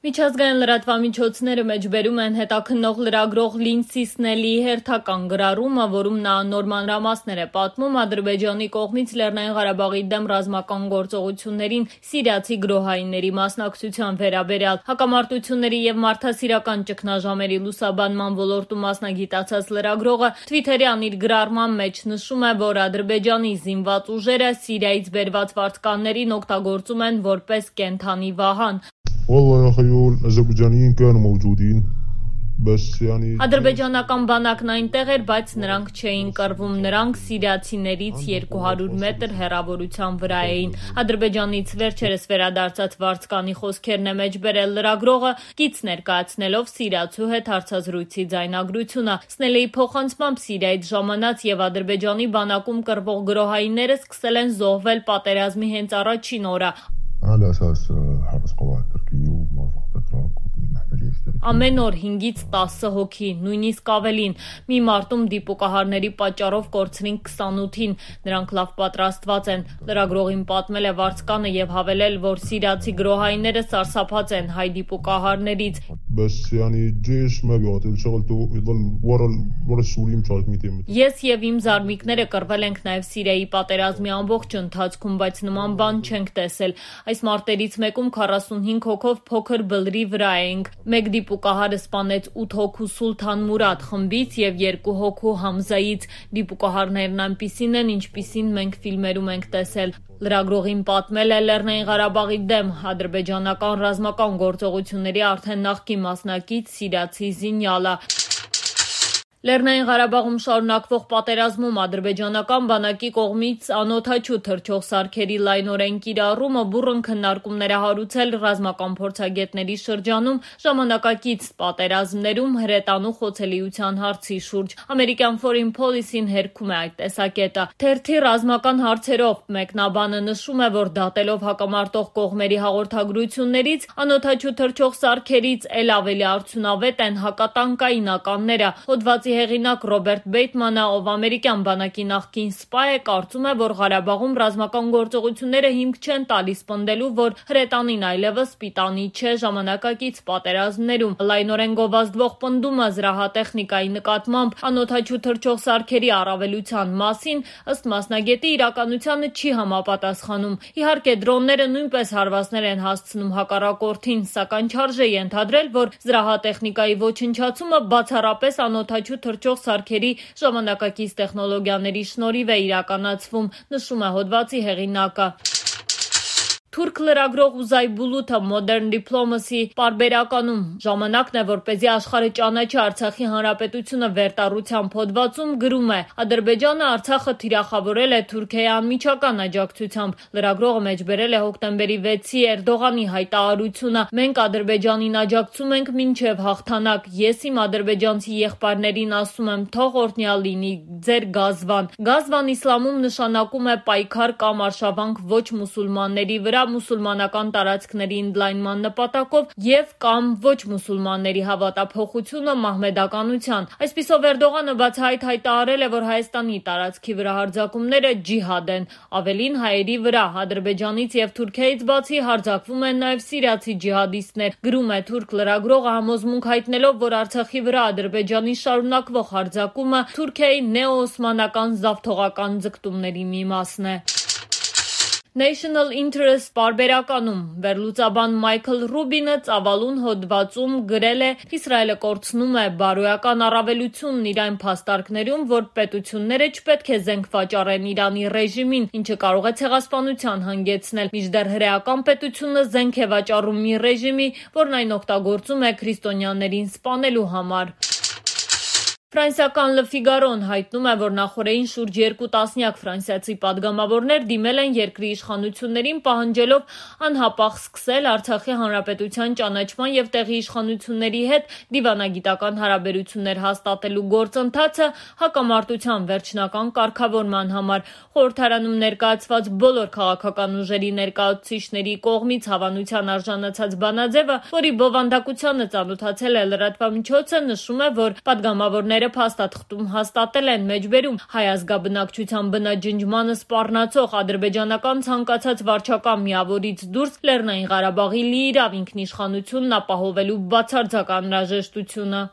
Միջազգային լրատվամիջոցները մեջբերում են հետաքննող լրագրող Լինդսի Սնելի հերթական գրառումը, որում նա նոր մանրամասներ է պատմում Ադրբեջանի կողմից Լեռնային Ղարաբաղի դեմ ռազմական գործողություններին սիրիացի գրոհայինների մասնակցության վերաբերյալ։ Հակամարտությունների եւ մարդասիրական ճգնաժամերի լուսաբանման ոլորտում մասնագիտացած լրագրողը Թվիթերյան իր գրառման մեջ նշում է, որ Ադրբեջանի զինված ուժերը Սիրիայից բերված վարձկաններին օգտագործում են որպես կենդանի վահան։ Ադրբեջանական բանակն այնտեղ էր, բայց նրանք չէին կռվում, նրանք սիրիացիներից 200 մետր հեռավորության վրա էին։ Ադրբեջանից վերջերս վերադարձած վարձկանի խոսքերն է մեջբերել լրագրողը, կից ներկայացնելով սիրիացու հետ հարցազրույցի ձայնագրությունը։ Սնելիի փոխանցմամբ Սիրիայից ժամանած եւ Ադրբեջանի բանակում կռվող գրոհայինները սկսել են զոհվել պատերազմի հենց առաջին օրը։ Ամեն օր 5-ից 10 հոգի, նույնիսկ ավելին։ Մի մարտում դիպուկահարների պատճառով կորցրին 28-ին։ Նրանք լավ պատրաստված են։ Լրագրողին պատմել է վարձկանը եւ հավելել, որ սիրիացի գրոհայինները սարսափած են հայ դիպուկահարներից։ Ես եւ իմ զարմիկները կռվել ենք նաեւ Սիրիայի պատերազմի ամբողջ ընթացքում, բայց նման բան չենք տեսել։ Այս մարտերից մեկում 45 հոգով փոքր բլրի վրա էինք։ Մեկ դիպուկահարը սպանեց 8 հոգու Սուլթան Մուրադ խմբից եւ 2 հոգու Համզայից։ Դիպուկահարներն այնպիսին են, ինչպիսին մենք ֆիլմերում ենք տեսել։ Լրագրողին պատմել է Լեռնային Ղարաբաղի դեմ ադրբեջանական ռազմական գործողությունների արդեն նախկին մասնակից սիրիացի Զինյալը։ Լեռնային Ղարաբաղում շարունակվող պատերազմում ադրբեջանական բանակի կողմից անօդաչու թռչող սարքերի լայնորեն կիրառումը բուռն քննարկումներ է հարուցել ռազմական փորձագետների շրջանում ժամանակակից պատերազմներում հրետանու խոցելիության հարցի շուրջ։ Ամերիկյան Foreign Policy-ն հերքում է այդ տեսակետը։ Թերթի ռազմական հարցերով մեկնաբանը նշում է, որ դատելով հակամարտող կողմերի հաղորդագրություններից անօդաչու թռչող սարքերից էլ ավելի արդյունավետ են հակատանկայինականները։ Հոդվածի հեղինակ Ռոբերտ Բեյթմանը, ով ամերիկյան բանակի նախկին սպա է, կարծում է, որ Ղարաբաղում ռազմական գործողությունները հիմք չեն տալիս պնդելու, որ հրետանին այլևս պիտանի չէ ժամանակակից պատերազմներում։ Լայնորեն գովազդվող պնդումը զրահատեխնիկայի նկատմամբ անօդաչու թռչող սարքերի առավելության մասին, ըստ մասնագետի, իրականությանը չի համապատասխանում։ Իհարկե, դրոնները նույնպես հարվածներ են հասցնում հակառակորդին, սակայն չարժե ենթադրել, որ զրահատեխնիկայի ոչնչացումը բացառապես անօդաչու թռչող սարքերի ժամանակակից տեխնոլոգիաների շնորհիվ է իրականացվում, նշում է հոդվածի հեղինակը։ Թուրք լրագրող Ուզայ Բուլութը Modern Diplomacy պարբերականում ժամանակն է, որպեսզի աշխարհը ճանաչի Արցախի հանրապետությունը վերտառությամբ հոդվածում գրում է. Ադրբեջանը Արցախը թիրախավորել է Թուրքիայի անմիջական աջակցությամբ։ Լրագրողը մեջբերել է հոկտեմբերի 6-ի Էրդողանի հայտարարությունը. Մենք Ադրբեջանին աջակցում ենք մինչև հաղթանակ։ Ես իմ ադրբեջանցի եղբայրներին ասում եմ, թող օրհնյալ լինի ձեր գազվան։ Գազվան իսլամում նշանակում է պայքար կամ արշավանք ոչ մուսուլմանների վրա մուսուլմանական տարածքների ընդլայնման նպատակով եւ կամ ոչ մուսուլմանների հավատափոխությունը մահմեդականության։ Այսպիսով Էրդողանը բացահայտ հայտարարել է, որ Հայաստանի տարածքի վրա հարձակումները ջիհադ են, ավելին հայերի վրա։ Ադրբեջանից եւ Թուրքիայից բացի հարձակվում են նաեւ սիրիացի ջիհադիստներ։ Գրում է թուրք լրագրողը համոզմունք հայտնելով, որ Արցախի վրա Ադրբեջանի շարունակվող հարձակումը Թուրքիայի նեոօսմանական զավթողական ձգտումների մի մասն է։ National Interest պարբերականում վերլուծաբան Մայքլ Ռուբինը ծավալուն հոդվածում գրել է. Իսրայելը կորցնում է բարոյական առավելությունն իր այն փաստարկներում, որ պետությունները չպետք է զենք վաճառեն Իրանի ռեժիմին, ինչը կարող է ցեղասպանության հանգեցնել, մինչդեռ հրեական պետությունը զենք է վաճառում մի ռեժիմի, որն այն օգտագործում է քրիստոնյաներին սպանելու համար։ Ֆրանսիական Le Figaro-ն հայտնում է, որ նախորդին շուրջ 2 տասնյակ ֆրանսիացի падգամավորներ դիմել են երկրի իշխանություններին պահանջելով անհապաղ սկսել Արցախի հանրապետության ճանաչման եւ տեղի իշխանությունների հետ դիվանագիտական հարաբերություններ հաստատելու գործընթացը հակամարտության վերջնական կարգավորման համար։ Խորհրդարանում ներկայացված բոլոր քաղաքական ուժերի ներկայացուցիչների կողմից հավանության արժանացած բանաձևը, որի բովանդակությանը ծանոթացել է լրատվամիջոցը, նշում է, որ падգամավորները Իշխանությունները փաստաթղթում հաստատել են մեջբերում հայ ազգաբնակչության բնաջնջմանը սպառնացող ադրբեջանական ցանկացած վարչական միավորից դուրս Լեռնային Ղարաբաղի լիիրավ ինքնիշխանությունն ապահովելու բացարձակ անհրաժեշտությունը։